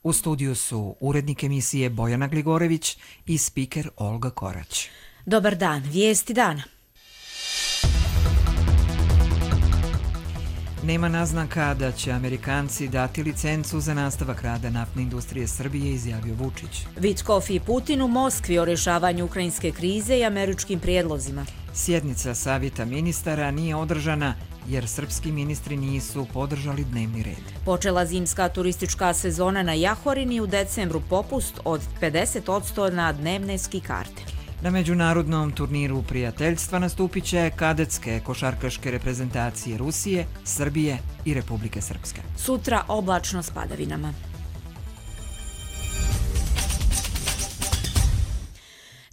U studiju su urednik emisije Bojana Gligorević i spiker Olga Korać. Dobar dan, vijesti dana. Nema naznaka da će Amerikanci dati licencu za nastavak rada naftne industrije Srbije, izjavio Vučić. Vitkov i Putin u Moskvi o rješavanju ukrajinske krize i američkim prijedlozima. Sjednica Savjeta ministara nije održana jer srpski ministri nisu podržali dnevni red. Počela zimska turistička sezona na Jahorini, u decembru popust od 50% na dnevne ski karte. Na međunarodnom turniru prijateljstva nastupit će kadetske košarkaške reprezentacije Rusije, Srbije i Republike Srpske. Sutra oblačno s padavinama.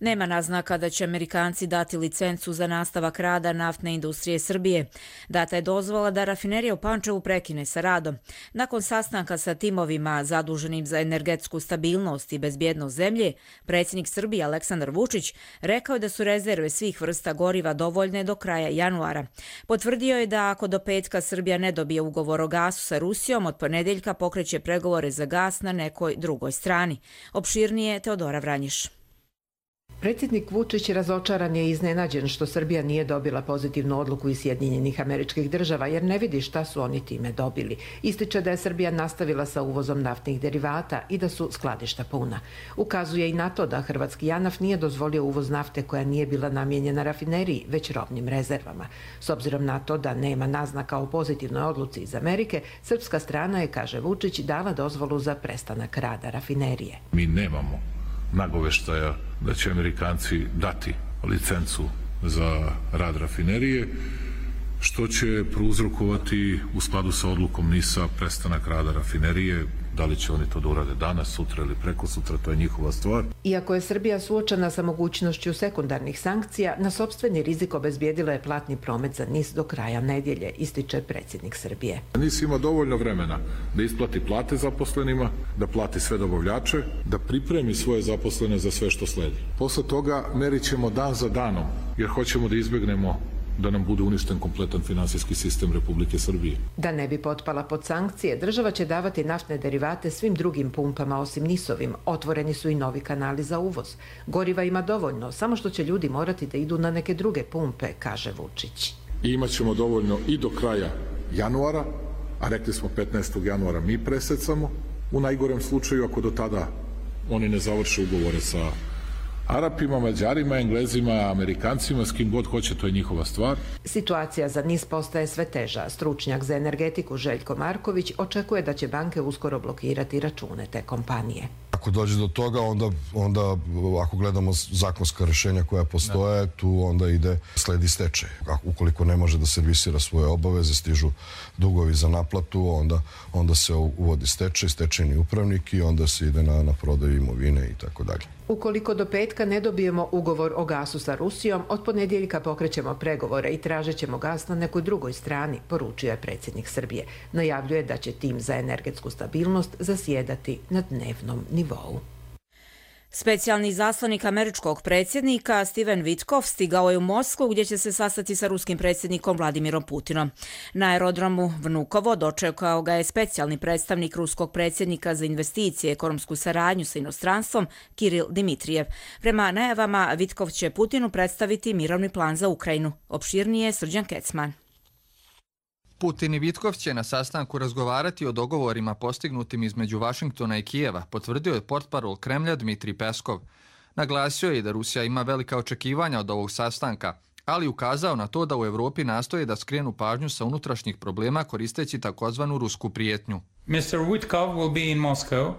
Nema naznaka da će Amerikanci dati licencu za nastavak rada naftne industrije Srbije. Data je dozvola da rafinerija u Pančevu prekine sa radom. Nakon sastanka sa timovima zaduženim za energetsku stabilnost i bezbjednost zemlje, predsjednik Srbije Aleksandar Vučić rekao je da su rezerve svih vrsta goriva dovoljne do kraja januara. Potvrdio je da ako do petka Srbija ne dobije ugovor o gasu sa Rusijom, od ponedjeljka pokreće pregovore za gas na nekoj drugoj strani. Opširnije Teodora Vranjiš. Predsjednik Vučić razočaran je i iznenađen što Srbija nije dobila pozitivnu odluku iz Sjedinjenih Američkih Država jer ne vidi šta su oni time dobili. Ističe da je Srbija nastavila sa uvozom naftnih derivata i da su skladišta puna. Ukazuje i na to da hrvatski JANAF nije dozvolio uvoz nafte koja nije bila namijenjena rafineriji, već robnim rezervama. S obzirom na to da nema naznaka o pozitivnoj odluci iz Amerike, srpska strana je, kaže Vučić, dala dozvolu za prestanak rada rafinerije. Mi nemamo nagoveštaja da će Amerikanci dati licencu za rad rafinerije, što će prouzrokovati u skladu sa odlukom NIS-a prestanak rada rafinerije. Da li će oni to da urade danas, sutra ili preko sutra, to je njihova stvar. Iako je Srbija suočena sa mogućnošću sekundarnih sankcija, na sopstveni rizik obezbijedila je platni promet za NIS do kraja nedjelje, ističe predsjednik Srbije. NIS ima dovoljno vremena da isplati plate zaposlenima, da plati sve dobavljače, da pripremi svoje zaposlene za sve što sledi. Posle toga merit ćemo dan za danom, jer hoćemo da izbjegnemo da nam bude uništen kompletan finansijski sistem Republike Srbije. Da ne bi potpala pod sankcije, država će davati naftne derivate svim drugim pumpama osim NIS-ovim. Otvoreni su i novi kanali za uvoz. Goriva ima dovoljno, samo što će ljudi morati da idu na neke druge pumpe, kaže Vučić. I imat ćemo dovoljno i do kraja januara, a rekli smo 15. januara mi presecamo. U najgorem slučaju, ako do tada oni ne završe ugovore sa Arapima, Mađarima, Englezima, Amerikancima, s kim god hoće, to je njihova stvar. Situacija za NIS postaje sve teža. Stručnjak za energetiku Željko Marković očekuje da će banke uskoro blokirati račune te kompanije. Ako dođe do toga, onda ako gledamo zakonska rješenja koja postoje, tu onda sledi stečaj. Ukoliko ne može da servisira svoje obaveze, stižu dugovi za naplatu, onda se uvodi stečaj, stečajni upravnik i onda se ide na prodaju imovine i tako dalje. Ukoliko do petka ne dobijemo ugovor o gasu sa Rusijom, od ponedjeljka pokrećemo pregovore i tražit ćemo gas na nekoj drugoj strani, poručio je predsjednik Srbije. Najavljuje da će tim za energetsku stabilnost zasjedati na dnevnom nivou. Specijalni izaslanik američkog predsjednika Steven Vitkov stigao je u Moskvu gdje će se sastati sa ruskim predsjednikom Vladimirom Putinom. Na aerodromu Vnukovo dočekao ga je specijalni predstavnik ruskog predsjednika za investicije i ekonomsku saradnju sa inostranstvom Kiril Dimitrijev. Prema najavama, Vitkov će Putinu predstaviti mirovni plan za Ukrajinu. Opširnije Srđan Kecman. Putin i Vitkov će na sastanku razgovarati o dogovorima postignutim između Vašingtona i Kijeva, potvrdio je portparol Kremlja Dmitrij Peskov. Naglasio je da Rusija ima velika očekivanja od ovog sastanka, ali ukazao na to da u Europi nastoje da skrenu pažnju sa unutrašnjih problema koristeći takozvanu rusku prijetnju.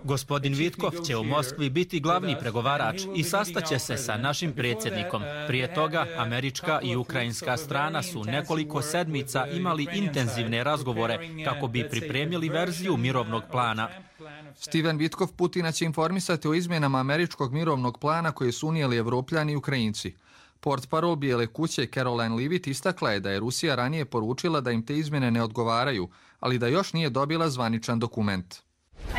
Gospodin Vitkov će u Moskvi biti glavni pregovarač i sastaće se sa našim predsjednikom. Prije toga, američka i ukrajinska strana su nekoliko sedmica imali intenzivne razgovore kako bi pripremili verziju mirovnog plana. Steven Vitkov Putina će informisati o izmjenama američkog mirovnog plana koje su unijeli Evropljani i Ukrajinci. Portparol Bijele kuće Caroline Leavitt istakla je da je Rusija ranije poručila da im te izmjene ne odgovaraju, ali da još nije dobila zvaničan dokument.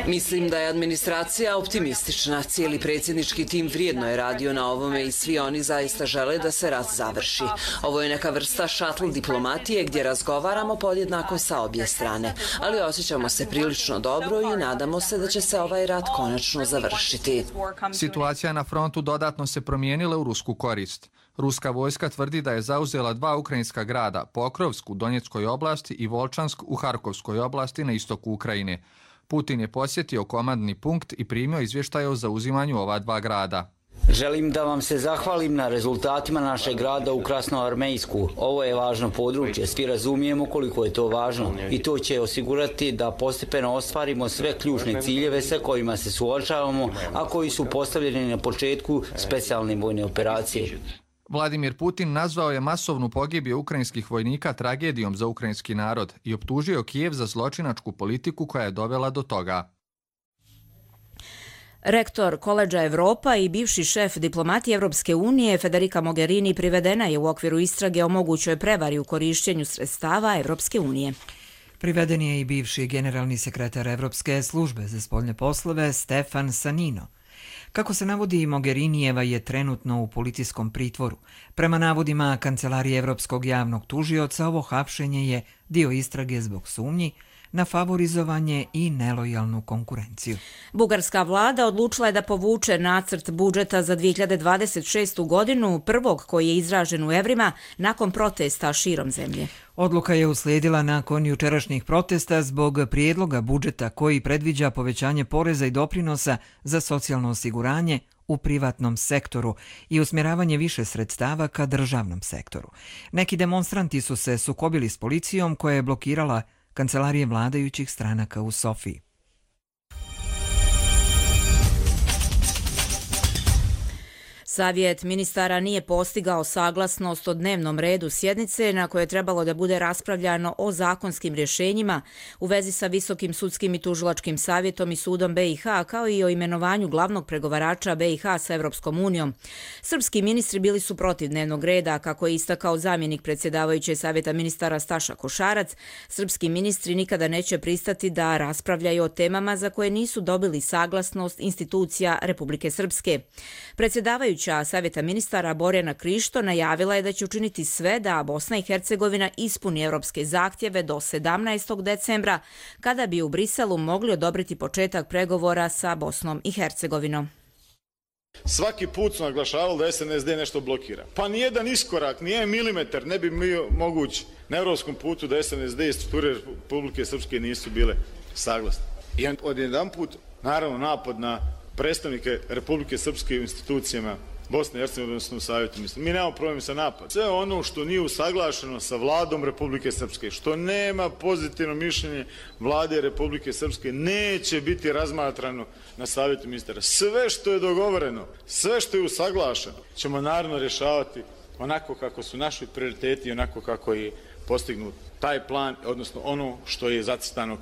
Mislim da je administracija optimistična. Cijeli predsjednički tim vrijedno je radio na ovome i svi oni zaista žele da se rat završi. Ovo je neka vrsta šatl diplomatije gdje razgovaramo podjednako sa obje strane, ali osjećamo se prilično dobro i nadamo se da će se ovaj rat konačno završiti. Situacija na frontu dodatno se promijenila u rusku korist. Ruska vojska tvrdi da je zauzela 2 ukrajinska grada, Pokrovsk u Donjeckoj oblasti i Volčansk u Harkovskoj oblasti na istoku Ukrajine. Putin je posjetio komandni punkt i primio izvještaje o zauzimanju ova 2 grada. Želim da vam se zahvalim na rezultatima našeg grada u Krasnoarmejsku. Ovo je važno područje, svi razumijemo koliko je to važno i to će osigurati da postepeno ostvarimo sve ključne ciljeve sa kojima se suočavamo, a koji su postavljeni na početku specijalne vojne operacije. Vladimir Putin nazvao je masovnu pogibiju ukrajinskih vojnika tragedijom za ukrajinski narod i optužio Kijev za zločinačku politiku koja je dovela do toga. Rektor Koledža Evropa i bivši šef diplomatije Evropske unije Federica Mogherini privedena je u okviru istrage o mogućoj prevari u korišćenju sredstava Evropske unije. Priveden je i bivši generalni sekretar Evropske službe za spoljne poslove Stefan Sanino. Kako se navodi, Mogherinijeva je trenutno u policijskom pritvoru. Prema navodima Kancelarije Evropskog javnog tužioca, ovo hapšenje je dio istrage zbog sumnji na favorizovanje i nelojalnu konkurenciju. Bugarska vlada odlučila je da povuče nacrt budžeta za 2026. godinu, prvog koji je izražen u evrima, nakon protesta širom zemlje. Odluka je uslijedila nakon jučerašnjih protesta zbog prijedloga budžeta koji predviđa povećanje poreza i doprinosa za socijalno osiguranje u privatnom sektoru i usmjeravanje više sredstava ka državnom sektoru. Neki demonstranti su se sukobili s policijom koja je blokirala kancelarije vladajućih stranaka u Sofiji. Savjet ministara nije postigao saglasnost o dnevnom redu sjednice na kojoj je trebalo da bude raspravljano o zakonskim rješenjima u vezi sa Visokim sudskim i tužilačkim savjetom i sudom BiH, kao i o imenovanju glavnog pregovarača BiH sa Evropskom unijom. Srpski ministri bili su protiv dnevnog reda, kako je istakao zamjenik predsjedavajuće Savjeta ministara Staša Košarac. Srpski ministri nikada neće pristati da raspravljaju o temama za koje nisu dobili saglasnost institucija Republike Srpske. Predsjedavajuća Savjeta ministara Borjana Krišto najavila je da će učiniti sve da Bosna i Hercegovina ispuni evropske zahtjeve do 17. decembra, kada bi u Briselu mogli odobriti početak pregovora sa Bosnom i Hercegovinom. Svaki put su naglašavali da SNSD nešto blokira. Pa nijedan iskorak, nijedan milimetar ne bi bio moguć na evropskom putu da SNSD i strukture Republike Srpske nisu bile saglasne. I odjedanput, naravno, napad na predstavnike Republike Srpske u institucijama Bosne i Hercegovine, odnosno u Savjetu. Mi nemamo problem sa napadom. Sve ono što nije usaglašeno sa vladom Republike Srpske, što nema pozitivno mišljenje vlade Republike Srpske, neće biti razmatrano na Savjetu ministara. Sve što je dogovoreno, sve što je usaglašeno, ćemo naravno rješavati onako kako su naši prioriteti i onako kako je postignut taj plan, odnosno ono što je zacrtano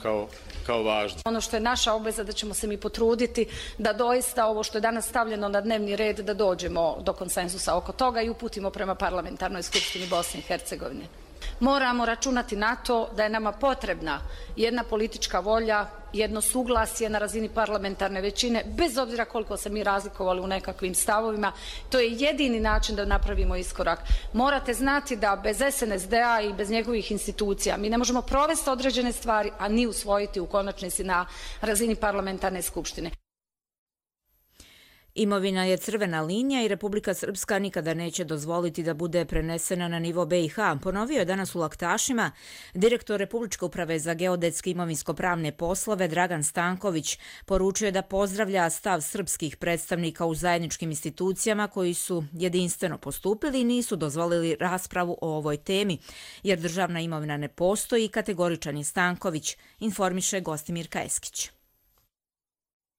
kao važno. Ono što je naša obveza da ćemo se mi potruditi da doista ovo što je danas stavljeno na dnevni red da dođemo do konsenzusa oko toga i uputimo prema parlamentarnoj skupštini Bosne i Hercegovine. Moramo računati na to da je nama potrebna jedna politička volja, jedno suglasje na razini parlamentarne većine, bez obzira koliko se mi razlikovali u nekakvim stavovima. To je jedini način da napravimo iskorak. Morate znati da bez SNSD-a i bez njegovih institucija mi ne možemo provesti određene stvari, a ni usvojiti u konačnici na razini parlamentarne skupštine. Imovina je crvena linija i Republika Srpska nikada neće dozvoliti da bude prenesena na nivo BiH, ponovio je danas u Laktašima direktor Republičke uprave za geodetske imovinsko-pravne poslove Dragan Stanković. Poručuje da pozdravlja stav srpskih predstavnika u zajedničkim institucijama koji su jedinstveno postupili i nisu dozvolili raspravu o ovoj temi, jer državna imovina ne postoji, kategoričan je Stanković, informiše Gostimirka Eskić.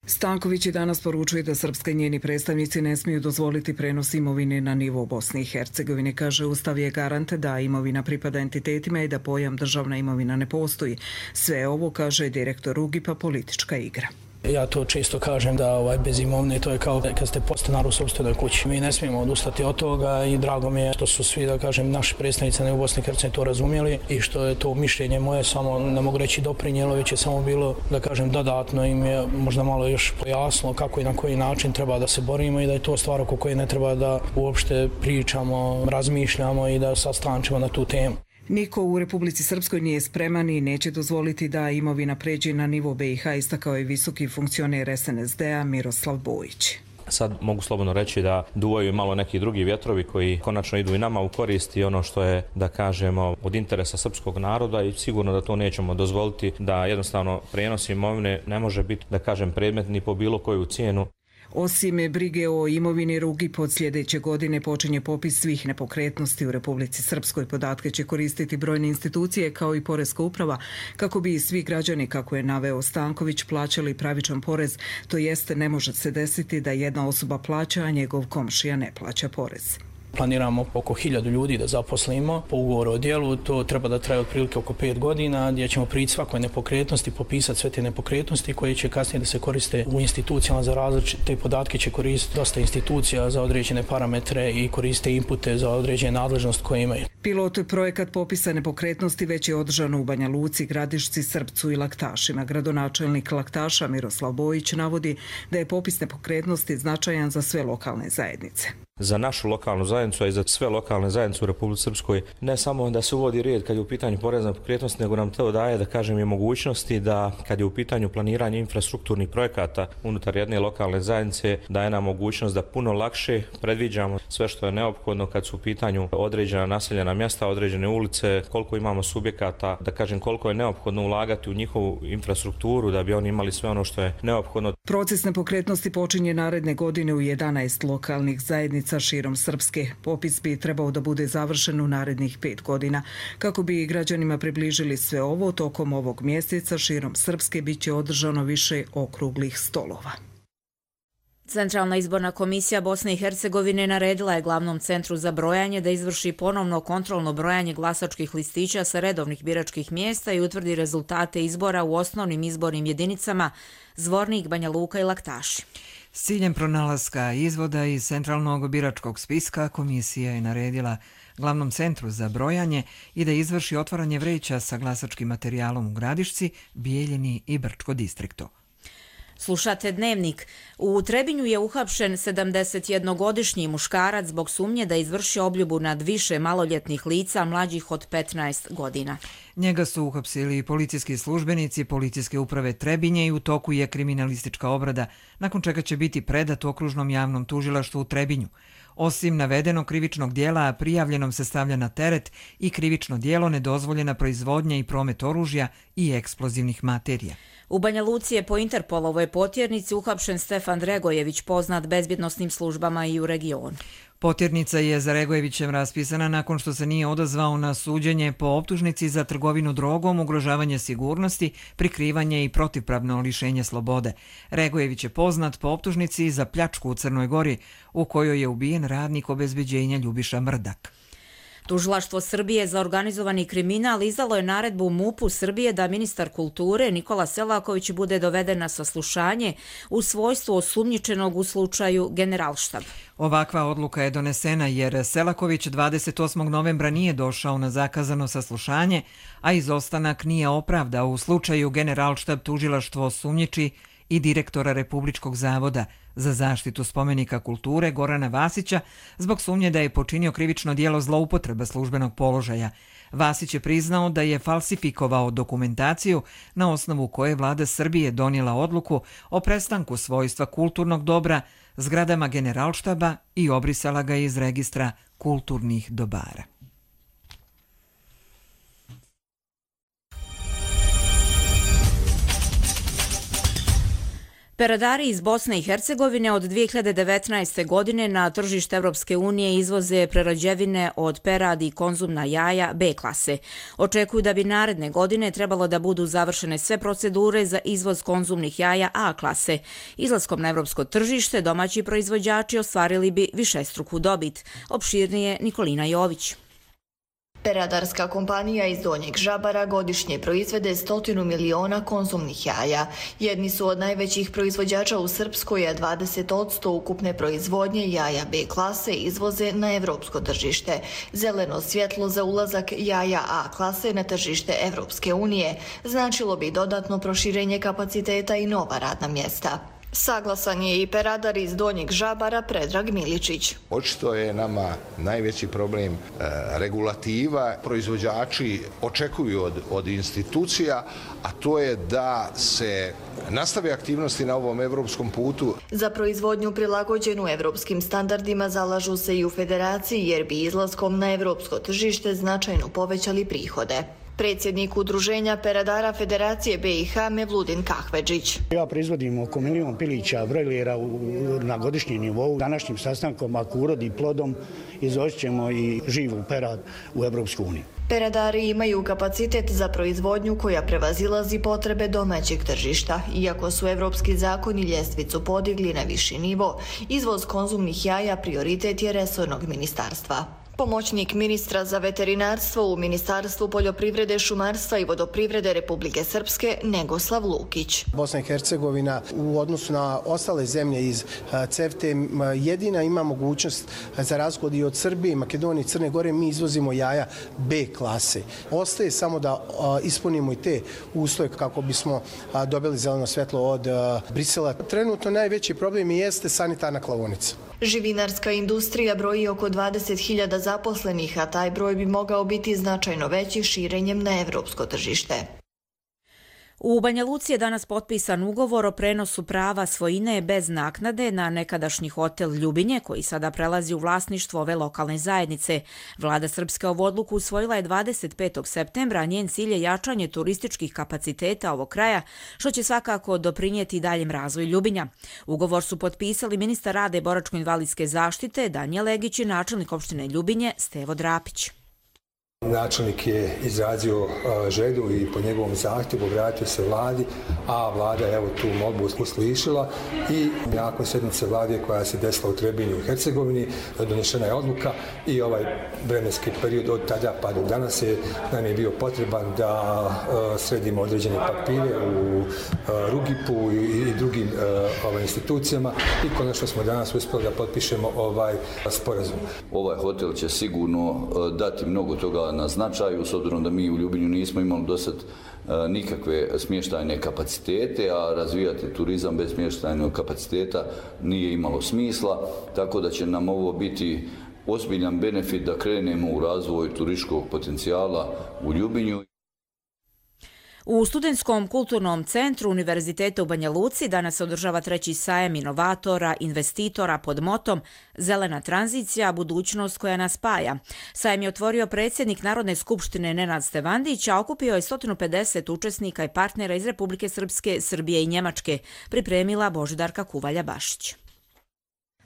Stanković i danas poručuje da srpska i njeni predstavnici ne smiju dozvoliti prenos imovine na nivo Bosne i Hercegovine. Kaže, Ustav je garant da imovina pripada entitetima i da pojam državna imovina ne postoji. Sve ovo, kaže direktor UGIP-a, politička igra. Ja to često kažem da bez imovine to je kao kad ste podstanar u sopstvenoj kući. Mi ne smijemo odustati od toga i drago mi je što su svi, da kažem, naši predstavnici u Bosni i Hercegovini to razumjeli i što je to mišljenje moje samo, ne mogu reći doprinijelo, već je samo bilo, da kažem, dodatno im je možda malo još pojasnilo kako i na koji način treba da se borimo i da je to stvar oko koje ne treba da uopšte pričamo, razmišljamo i da sastančimo na tu temu. Niko u Republici Srpskoj nije spreman i neće dozvoliti da imovina pređe na nivo BiH, istakao je visoki funkcioner SNSD-a Miroslav Bojić. Sad mogu slobodno reći da duvaju malo neki drugi vjetrovi koji konačno idu i nama u korist i ono što je, da kažemo, od interesa srpskog naroda i sigurno da to nećemo dozvoliti, da jednostavno prijenos imovine ne može biti, da kažem, predmet ni po bilo koju cijenu. Osim brige o imovini Rugip, od sljedeće godine počinje popis svih nepokretnosti u Republici Srpskoj. Podatke će koristiti brojne institucije kao i Poreska uprava kako bi svi građani, kako je naveo Stanković, plaćali pravičan porez. To jeste, ne može se desiti da jedna osoba plaća, a njegov komšija ne plaća porez. Planiramo oko 1000 ljudi da zaposlimo po ugovoru o djelu. To treba da traje otprilike oko 5 godina, gdje ćemo prići svakoj nepokretnosti, popisati sve te nepokretnosti koje će kasnije da se koriste u institucijama za različite podatke. Će koristiti dosta institucija za određene parametre i koriste inpute za određene nadležnost koje imaju. Pilot projekat popisa nepokretnosti već je održan u Banja Luci, Gradišci, Srpcu i Laktašima. Gradonačelnik Laktaša Miroslav Bojić navodi da je popis nepokretnosti značajan za sve lokalne zajednice. Za našu lokalnu zajednicu, a i za sve lokalne zajednice u Republici Srpskoj, ne samo da se uvodi red kad je u pitanju poreza na nepokretnosti, nego nam to daje, da kažem, i mogućnosti da kad je u pitanju planiranje infrastrukturnih projekata unutar jedne lokalne zajednice, daje nam mogućnost da puno lakše predviđamo sve što je neophodno kad su u pitanju određena naseljena mjesta, određene ulice, koliko imamo subjekata, da kažem koliko je neophodno ulagati u njihovu infrastrukturu da bi oni imali sve ono što je neophodno. Proces nepokretnosti počinje naredne godine u 11 lokalnih zajednica širom Srpske. Popis bi trebao da bude završen u narednih 5 godina. Kako bi građanima približili sve ovo, tokom ovog mjeseca širom Srpske biće održano više okruglih stolova. Centralna izborna komisija Bosne i Hercegovine naredila je glavnom centru za brojanje da izvrši ponovno kontrolno brojanje glasačkih listića sa redovnih biračkih mjesta i utvrdi rezultate izbora u osnovnim izbornim jedinicama Zvornik, Banja Luka i Laktaši. S ciljem pronalaska izvoda iz centralnog biračkog spiska, komisija je naredila glavnom centru za brojanje i da izvrši otvaranje vreća sa glasačkim materijalom u Gradišci, Bijeljini i Brčko distriktu. Slušate Dnevnik. U Trebinju je uhapšen 71-godišnji muškarac zbog sumnje da izvrši obljubu nad više maloljetnih lica mlađih od 15 godina. Njega su uhapsili policijski službenici Policijske uprave Trebinje i u toku je kriminalistička obrada, nakon čega će biti predat okružnom javnom tužilaštvu u Trebinju. Osim navedenog krivičnog dijela, prijavljenom se stavlja na teret i krivično dijelo nedozvoljena proizvodnja i promet oružja i eksplozivnih materija. U Banja Luci je po Interpolovoj potjernici uhapšen Stefan Regojević, poznat bezbjednosnim službama i u regionu. Potjernica je za Regojevićem raspisana nakon što se nije odazvao na suđenje po optužnici za trgovinu drogom, ugrožavanje sigurnosti, prikrivanje i protivpravno lišenje slobode. Regojević je poznat po optužnici za pljačku u Crnoj Gori, u kojoj je ubijen radnik obezbeđenja Ljubiša Mrdak. Tužilaštvo Srbije za organizovani kriminal izdalo je naredbu MUP-u Srbije da ministar kulture Nikola Selaković bude doveden na saslušanje u svojstvu osumnjičenog u slučaju Generalštab. Ovakva odluka je donesena jer Selaković 28. novembra nije došao na zakazano saslušanje, a izostanak nije opravdao. U slučaju Generalštab tužilaštvo osumnjiči i direktora Republičkog zavoda za zaštitu spomenika kulture Gorana Vasića zbog sumnje da je počinio krivično djelo zloupotreba službenog položaja. Vasić je priznao da je falsifikovao dokumentaciju na osnovu koje vlada Srbije donijela odluku o prestanku svojstva kulturnog dobra zgradama Generalštaba i obrisala ga iz registra kulturnih dobara. Peradari iz Bosne i Hercegovine od 2019. godine na tržište Evropske unije izvoze prerađevine od peradi i konzumna jaja B klase. Očekuju da bi naredne godine trebalo da budu završene sve procedure za izvoz konzumnih jaja A klase. Izlaskom na evropsko tržište domaći proizvođači ostvarili bi višestruku dobit. Opširnije Nikolina Jović. Peradarska kompanija iz Donjeg Žabara godišnje proizvede 100 miliona konzumnih jaja. Jedni su od najvećih proizvođača u Srpskoj, a 20% ukupne proizvodnje jaja B klase izvoze na evropsko tržište. Zeleno svjetlo za ulazak jaja A klase na tržište Evropske unije značilo bi dodatno proširenje kapaciteta i nova radna mjesta. Saglasan je i peradar iz Donjeg Žabara Predrag Miličić. Očito je nama najveći problem regulativa. Proizvođači očekuju od institucija, a to je da se nastave aktivnosti na ovom evropskom putu. Za proizvodnju prilagođenu evropskim standardima zalažu se i u federaciji jer bi izlaskom na evropsko tržište značajno povećali prihode. Predsjednik udruženja peradara Federacije BiH Mevludin Kahvedžić. Ja proizvodim oko 1 milion pilića brojlera na godišnjem nivou. Današnjim sastankom, ako urodi plodom, izvozit ćemo i živu perad u Evropsku uniju. Peradari imaju kapacitet za proizvodnju koja prevazilazi potrebe domaćeg tržišta. Iako su evropski zakoni ljestvicu podigli na viši nivo, izvoz konzumnih jaja prioritet je resornog ministarstva. Pomoćnik ministra za veterinarstvo u Ministarstvu poljoprivrede, šumarstva i vodoprivrede Republike Srpske Negoslav Lukić. Bosna i Hercegovina u odnosu na ostale zemlje iz CEFTA jedina ima mogućnost za razliku i od Srbije, Makedonije i Crne Gore, mi izvozimo jaja B klase. Ostaje samo da ispunimo i te uslove kako bismo dobili zeleno svjetlo od Brisela. Trenutno najveći problem jeste sanitarna klaonica. Živinarska industrija broji oko 20.000 zaposlenih, a taj broj bi mogao biti značajno veći širenjem na evropsko tržište. U Banja Luci je danas potpisan ugovor o prenosu prava svojine bez naknade na nekadašnji hotel Ljubinje, koji sada prelazi u vlasništvo ove lokalne zajednice. Vlada Srpske ovu odluku usvojila je 25. septembra, a njen cilj je jačanje turističkih kapaciteta ovog kraja, što će svakako doprinijeti daljem razvoju Ljubinja. Ugovor su potpisali ministar rada i boračko-invalidske zaštite Danijel Legić i načelnik opštine Ljubinje Stevo Drapić. Načelnik je izrazio želju i po njegovom zahtjevu obratio se vladi, a vlada je tu molbu uslišila i nakon sjednice vlade koja se desila u Trebinju u Hercegovini donešena je odluka i ovaj vremenski period od tada pa do danas nam je bio potreban da sredimo određene papire u Rugipu i drugim institucijama i konačno smo danas uspjeli da potpišemo ovaj sporazum. Ovaj hotel će sigurno dati mnogo toga na značaju, s obzirom da mi u Ljubinju nismo imali do sad nikakve smještajne kapacitete, a razvijati turizam bez smještajnog kapaciteta nije imalo smisla, tako da će nam ovo biti ozbiljan benefit da krenemo u razvoj turističkog potencijala u Ljubinju. U Studentskom kulturnom centru Univerziteta u Banja Luci danas se održava 3. sajam inovatora, investitora pod motom Zelena tranzicija, budućnost koja nas spaja. Sajam je otvorio predsjednik Narodne skupštine Nenad Stevandić, a okupio je 150 učesnika i partnera iz Republike Srpske, Srbije i Njemačke, pripremila Božidarka Kuvalja-Bašić.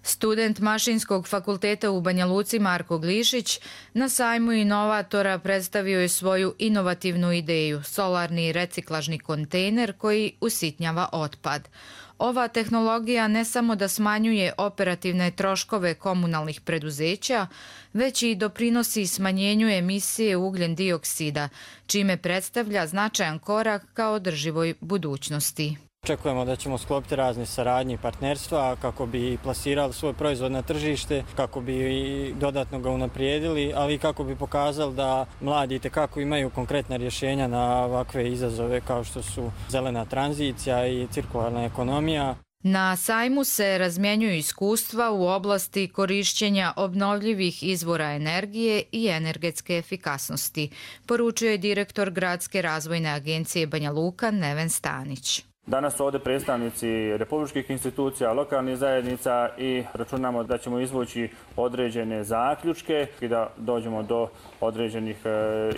Student Mašinskog fakulteta u Banja Luci Marko Glišić na sajmu inovatora predstavio je svoju inovativnu ideju, solarni reciklažni kontejner koji usitnjava otpad. Ova tehnologija ne samo da smanjuje operativne troškove komunalnih preduzeća, već i doprinosi smanjenju emisije ugljen dioksida, čime predstavlja značajan korak ka održivoj budućnosti. Očekujemo da ćemo sklopiti razne saradnje i partnerstva kako bi plasirali svoj proizvod na tržište, kako bi i dodatno ga unaprijedili, ali i kako bi pokazali da mladi itekako imaju konkretna rješenja na ovakve izazove kao što su zelena tranzicija i cirkularna ekonomija. Na sajmu se razmjenjuju iskustva u oblasti korišćenja obnovljivih izvora energije i energetske efikasnosti, poručuje direktor Gradske razvojne agencije Banja Luka Neven Stanić. Danas su ovdje predstavnici republičkih institucija, lokalnih zajednica i računamo da ćemo izvući određene zaključke i da dođemo do određenih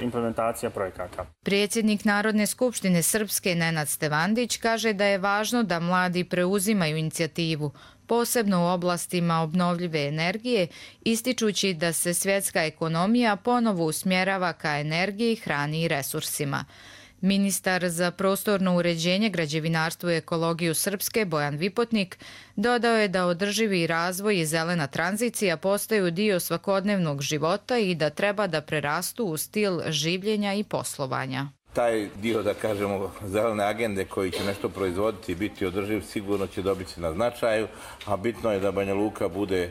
implementacija projekata. Predsjednik Narodne skupštine Srpske Nenad Stevandić kaže da je važno da mladi preuzimaju inicijativu, posebno u oblastima obnovljive energije, ističući da se svjetska ekonomija ponovo usmjerava ka energiji, hrani i resursima. Ministar za prostorno uređenje, građevinarstvo i ekologiju Srpske, Bojan Vipotnik, dodao je da održivi razvoj i zelena tranzicija postaju dio svakodnevnog života i da treba da prerastu u stil življenja i poslovanja. Taj dio, da kažemo, zelene agende koji će nešto proizvoditi i biti održiv sigurno će dobiti na značaju, a bitno je da Banja Luka bude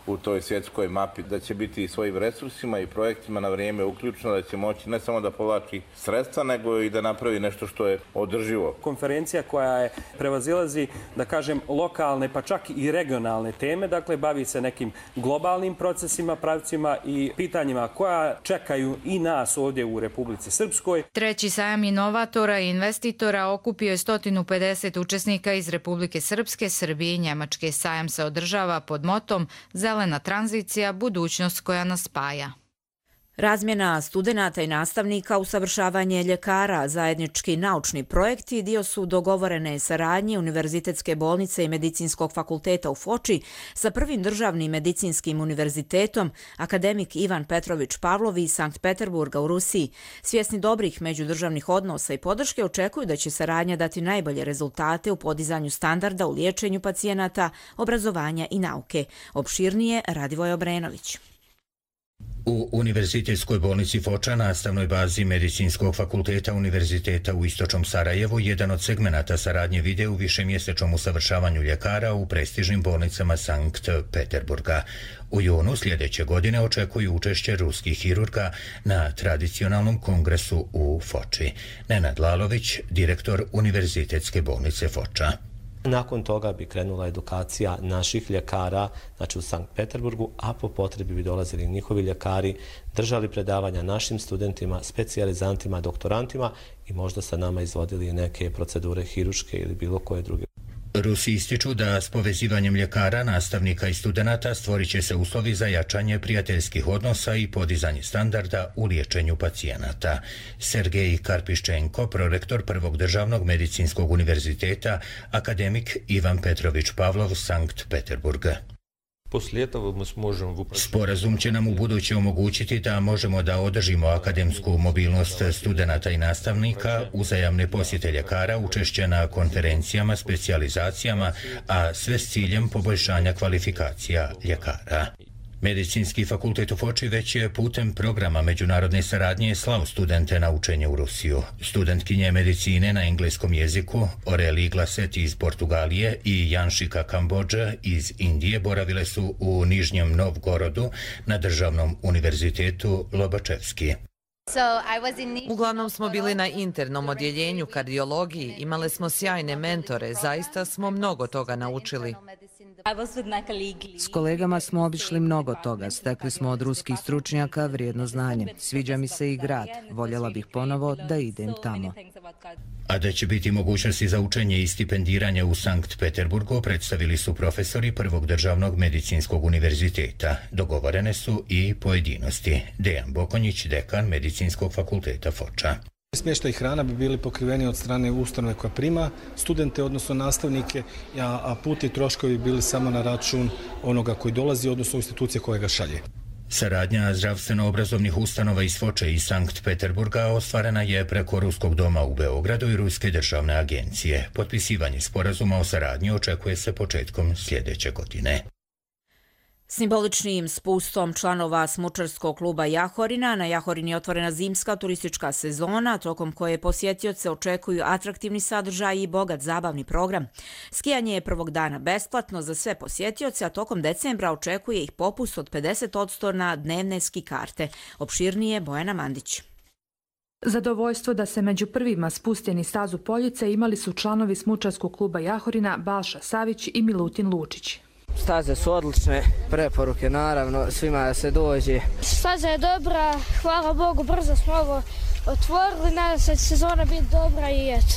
u toj svjetskoj mapi, da će biti i svojim resursima i projektima na vrijeme uključeno, da će moći ne samo da povlači sredstva, nego i da napravi nešto što je održivo. Konferencija koja je prevazilazi, da kažem, lokalne pa čak i regionalne teme, dakle bavi se nekim globalnim procesima, pravcima i pitanjima koja čekaju i nas ovdje u Republici Srpskoj. Treći sajam inovatora i investitora okupio je 150 učesnika iz Republike Srpske, Srbije i Njemačke. Sajam se održava pod motom Zelena tranzicija, budućnost koja nas spaja. Razmjena studenata i nastavnika, usavršavanje ljekara, zajednički naučni projekti dio su dogovorene saradnje Univerzitetske bolnice i Medicinskog fakulteta u Foči sa prvim državnim medicinskim univerzitetom, akademik Ivan Petrović Pavlov iz Sankt Peterburga u Rusiji. Svjesni dobrih međudržavnih odnosa i podrške očekuju da će saradnja dati najbolje rezultate u podizanju standarda u liječenju pacijenata, obrazovanja i nauke. Opširnije Radivoj Obrenović. U Univerzitetskoj bolnici Foča, nastavnoj bazi Medicinskog fakulteta Univerziteta u Istočnom Sarajevu, jedan od segmenata saradnje vide u višemjesečnom usavršavanju ljekara u prestižnim bolnicama Sankt Peterburga. U junu sljedeće godine očekuju učešće ruskih hirurga na tradicionalnom kongresu u Foči. Nenad Lalović, direktor Univerzitetske bolnice Foča. Nakon toga bi krenula edukacija naših ljekara, znači u Sankt Peterburgu, a po potrebi bi dolazili njihovi ljekari, držali predavanja našim studentima, specijalizantima, doktorantima i možda sa nama izvodili neke procedure hiruške ili bilo koje druge. Rusi ističu da s povezivanjem ljekara, nastavnika i studenata stvorit će se uslovi za jačanje prijateljskih odnosa i podizanje standarda u liječenju pacijenata. Sergej Karpiščenko, prorektor Prvog državnog medicinskog univerziteta, akademik Ivan Petrović Pavlov, Sankt Peterburg. Sporazum će nam u buduće omogućiti da možemo da održimo akademsku mobilnost studenata i nastavnika, uzajamne posjete ljekara, učešće na konferencijama, specijalizacijama, a sve s ciljem poboljšanja kvalifikacija ljekara. Medicinski fakultet u Foči već je putem programa međunarodne saradnje slao studente na učenje u Rusiju. Studentkinje medicine na engleskom jeziku Oreli Glaset iz Portugalije i Janšika Kambodža iz Indije boravile su u Nižnjem Novgorodu na Državnom univerzitetu Lobačevski. Uglavnom smo bili na internom odjeljenju kardiologiji, imali smo sjajne mentore, zaista smo mnogo toga naučili. S kolegama smo obišli mnogo toga, stekli smo od ruskih stručnjaka vrijedno znanje. Sviđa mi se i grad, voljela bih ponovo da idem tamo. A da će biti mogućnosti za učenje i stipendiranje u Sankt Peterburgu predstavili su profesori Prvog državnog medicinskog univerziteta. Dogovorene su i pojedinosti. Dejan Bokonjić, dekan Medicinskog fakulteta Foča. Smještaj i hrana bi bili pokriveni od strane ustanove koja prima studente, odnosno nastavnike, a put i troškovi bili samo na račun onoga koji dolazi, odnosno institucije koje ga šalje. Saradnja zdravstveno-obrazovnih ustanova iz Foče i Sankt Peterburga ostvarena je preko Ruskog doma u Beogradu i Ruske državne agencije. Potpisivanje sporazuma o saradnji očekuje se početkom sljedeće godine. Simboličnim spustom članova smučarskog kluba Jahorina na Jahorini je otvorena zimska turistička sezona, tokom koje posjetioce očekuju atraktivni sadržaj i bogat zabavni program. Skijanje je prvog dana besplatno za sve posjetioce, a tokom decembra očekuje ih popust od 50% na dnevne ski karte. Opširnije Bojana Mandić. Zadovoljstvo da se među prvima spusteni stazu Poljice imali su članovi smučarskog kluba Jahorina Balša Savić i Milutin Lučić. Staze su odlične, preporuke naravno, svima da se dođe. Staza je dobra, hvala Bogu, brzo smo ovo otvorili, nadam se da će sezona biti dobra i eto.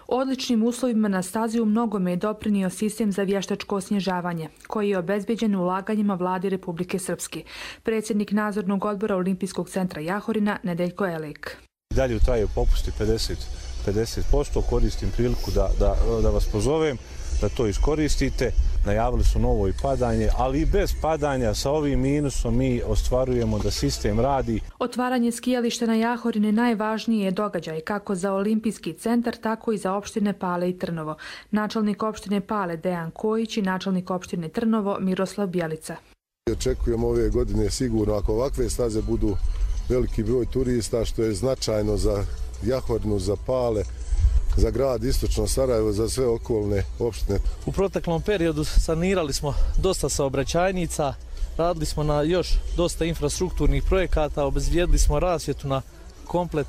Odličnim uslovima na stazi u mnogome je doprinio sistem za vještačko osnježavanje, koji je obezbeđen ulaganjima vlade Republike Srpske. Predsjednik nadzornog odbora Olimpijskog centra Jahorina Nedeljko Elek. Dalje traju popusti 50%, koristim priliku da vas pozovem, da to iskoristite. najavili su novo i padanje, ali i bez padanja sa ovim minusom mi ostvarujemo da sistem radi. Otvaranje skijališta na Jahorini najvažniji je događaj kako za Olimpijski centar, tako i za opštine Pale i Trnovo. Načelnik opštine Pale Dejan Kojić i načelnik opštine Trnovo Miroslav Bjelica. Očekujemo ove godine sigurno, ako ovakve staze budu, veliki broj turista, što je značajno za Jahorinu, za Pale, za grad Istočno Sarajevo, za sve okolne opštine. U proteklom periodu sanirali smo dosta saobraćajnica, radili smo na još dosta infrastrukturnih projekata, obezbijedili smo rasvjetu na komplet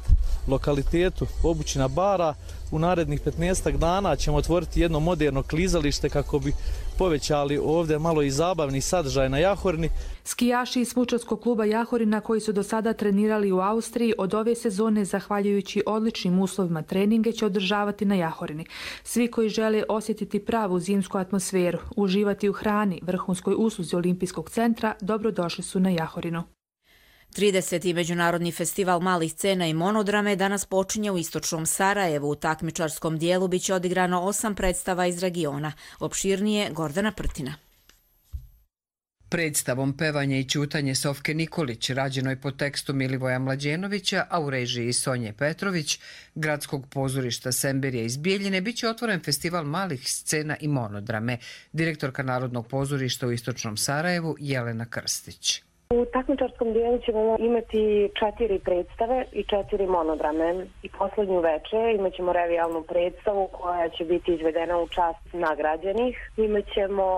lokalitetu Obućina Bara. U narednih 15 dana ćemo otvoriti jedno moderno klizalište kako bi povećali ovdje malo i zabavni sadržaj na Jahorini. Skijaši iz Smučarskog kluba Jahorina koji su do sada trenirali u Austriji od ove sezone, zahvaljujući odličnim uslovima treninge, će održavati na Jahorini. Svi koji žele osjetiti pravu zimsku atmosferu, uživati u hrani, vrhunskoj usluzi Olimpijskog centra, dobrodošli su na Jahorinu. 30. Međunarodni festival malih scena i monodrame danas počinje u Istočnom Sarajevu. U takmičarskom dijelu biće odigrano 8 predstava iz regiona. Opširnije Gordana Prtina. Predstavom Pevanje i ćutanje Sofke Nikolić, rađenoj po tekstu Milivoja Mlađenovića, a u režiji Sonje Petrović, Gradskog pozorišta Semberija iz Bijeljine, biće otvoren festival malih scena i monodrame. Direktorka Narodnog pozorišta u Istočnom Sarajevu Jelena Krstić. U takmičarskom dijelu ćemo imati 4 predstave i 4 monodrame. I poslednju večer imat ćemo revijalnu predstavu koja će biti izvedena u čast nagrađenih. Imat ćemo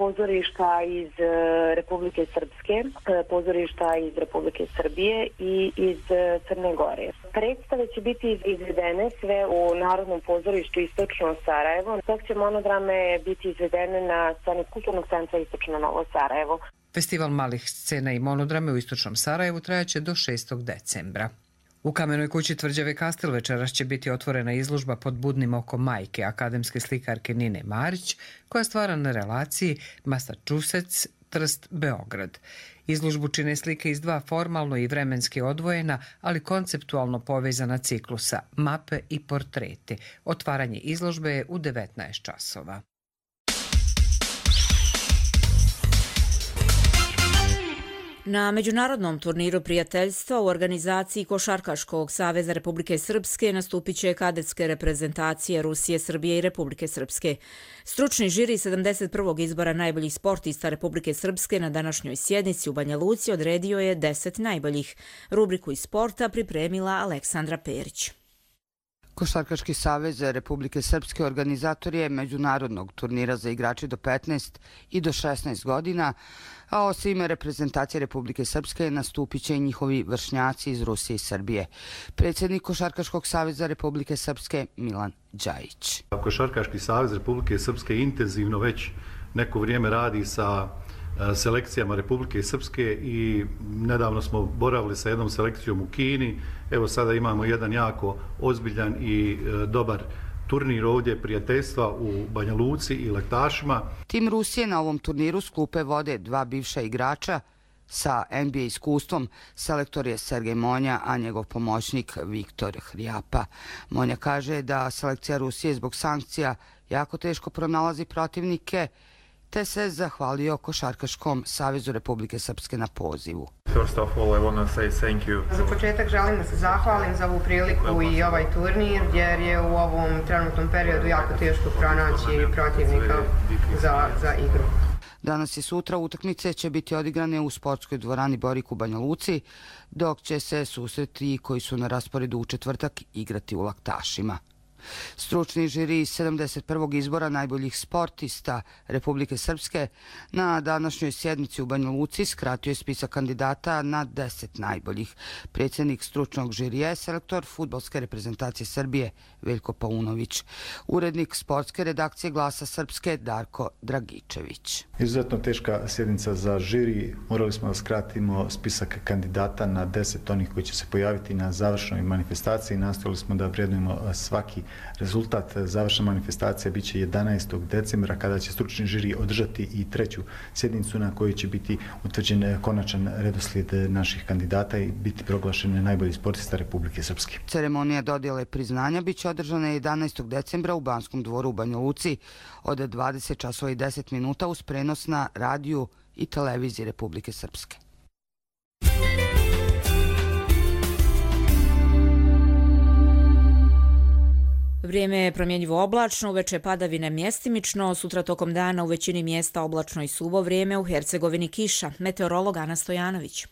pozorišta iz Republike Srpske, pozorišta iz Republike Srbije i iz Crne Gore. Predstave će biti izvedene sve u Narodnom pozorištu Istočno Sarajevo, dok će monodrame biti izvedene na sceni Kulturnog centra Istočno Novo Sarajevo. Festival malih scena i monodrame u Istočnom Sarajevu trajaće do 6. decembra. U Kamenoj kući Tvrđave Kastel večeras će biti otvorena izložba Pod budnim okom majke akademske slikarke Nine Marić, koja stvara na relaciji Massachusetts, Trst, Beograd. Izložbu čine slike iz 2 formalno i vremenski odvojena, ali konceptualno povezana ciklusa, mape i portreti. Otvaranje izložbe je u 19 časova. Na Međunarodnom turniru prijateljstva u organizaciji Košarkaškog saveza Republike Srpske nastupit će kadetske reprezentacije Rusije, Srbije i Republike Srpske. Stručni žiri 71. izbora najboljih sportista Republike Srpske na današnjoj sjednici u Banja Luci odredio je 10 najboljih. Rubriku iz sporta pripremila Aleksandra Perić. Košarkaški savez Republike Srpske organizator je međunarodnog turnira za igrače do 15 i do 16 godina, a osim reprezentacije Republike Srpske nastupit će i njihovi vršnjaci iz Rusije i Srbije. Predsjednik Košarkaškog saveza Republike Srpske Milan Đajić. Košarkaški savez Republike Srpske intenzivno već neko vrijeme radi sa selekcijama Republike Srpske i nedavno smo boravili sa jednom selekcijom u Kini. Evo sada imamo jedan jako ozbiljan i dobar turnir ovdje prijateljstva u Banja Luci i Lektašima. Tim Rusije na ovom turniru s klupe vode 2 bivša igrača sa NBA iskustvom. Selektor je Sergej Monja, a njegov pomoćnik Viktor Hrijapa. Monja kaže da selekcija Rusije zbog sankcija jako teško pronalazi protivnike, te se zahvalio Košarkaškom savezu Republike Srpske na pozivu. Za početak želim da se zahvalim za ovu priliku i ovaj turnir, jer je u ovom trenutnom periodu jako teško pronaći protivnika za igru. Danas i sutra utakmice će biti odigrane u sportskoj dvorani Borik u Banja Luci, dok će se susreti koji su na rasporedu u četvrtak igrati u Laktašima. Stručni žiri 71. izbora najboljih sportista Republike Srpske na današnjoj sjednici u Banja Luci skratio je spisak kandidata na 10 najboljih. Predsjednik stručnog žirija je selektor fudbalske reprezentacije Srbije Veljko Paunović. Urednik sportske redakcije Glasa Srpske Darko Dragičević. Izuzetno teška sjednica za žiri. Morali smo da skratimo spisak kandidata na 10 onih koji će se pojaviti na završnoj manifestaciji. Nastojali smo da vrednujemo svaki Rezultat završna manifestacija bit će 11. decembra kada će stručni žiri održati i 3. sjednicu na kojoj će biti utvrđen konačan redoslijed naših kandidata i biti proglašen najbolji sportista Republike Srpske. Ceremonija dodjele priznanja bit će održana 11. decembra u Banskom dvoru u Banja Luci od 20 časova i 10 minuta uz prenos na radiju i televiziji Republike Srpske. Vrijeme je promjenjivo oblačno, uveče padavine mjestimično, sutra tokom dana u većini mjesta oblačno i suvo vrijeme, u Hercegovini kiša. Meteorolog Ana Stojanović.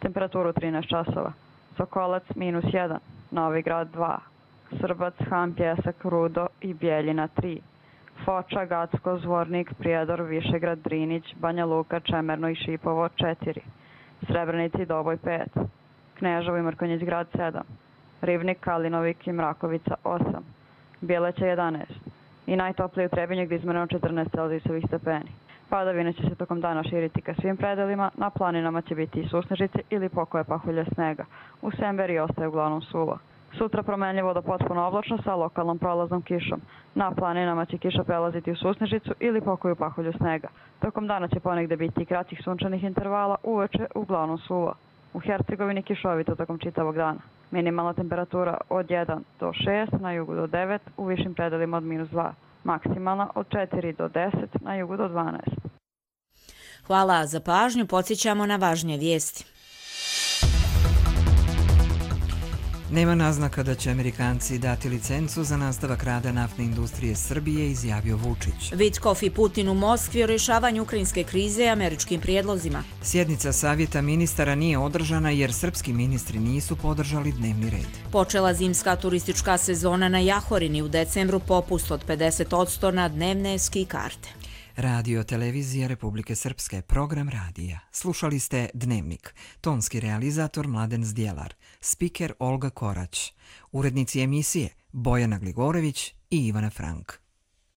Temperaturu 13 časova. Sokolac -1, Novi Grad 2, Srbac, Han, Pljesak, Rudo i Bijeljina 3, Foča, Gacko, Zvornik, Prijedor, Višegrad, Drinić, Banja Luka, Čemerno i Šipovo 4, Srebrenici i Doboj 5, Kneževo i Mrkonjić Grad 7, Rivnik, Kalinovik i Mrakovica 8, Bjeleća 11 i najtoplije u Trebinju gdje izmjereno 14 celzijusovih stepeni. Padavine će se tokom dana širiti ka svim predelima, na planinama će biti i susnežice ili pokoje pahulje snega. U Semberi ostaje uglavnom suvo. Sutra promenljivo do potpuno oblačno sa lokalnom prolaznom kišom. Na planinama će kiša prelaziti u susnežicu ili pokoju pahulju snega. Tokom dana će ponegde biti i kraćih sunčanih intervala, uveče uglavnom suvo. U Hercegovini kišovito tokom čitavog dana. Minimalna temperatura od 1 do 6, na jugu do 9, u višim predelima od -2. Maksimalna od 4 do 10, na jugu do 12. Hvala za pažnju, podsjećamo na važnije vijesti. Nema naznaka da će Amerikanci dati licencu za nastavak rada naftne industrije Srbije, izjavio Vučić. Vitkov i Putin u Moskvi o rješavanju ukrajinske krize i američkim prijedlozima. Sjednica savjeta ministara nije održana jer srpski ministri nisu podržali dnevni red. Počela zimska turistička sezona na Jahorini, u decembru popust od 50% na dnevne ski karte. Radio Televizija Republike Srpske, program radija. Slušali ste Dnevnik. Tonski realizator Mladen Zdjelar. Spiker Olga Korać. Urednici emisije Bojana Gligorević i Ivana Frank.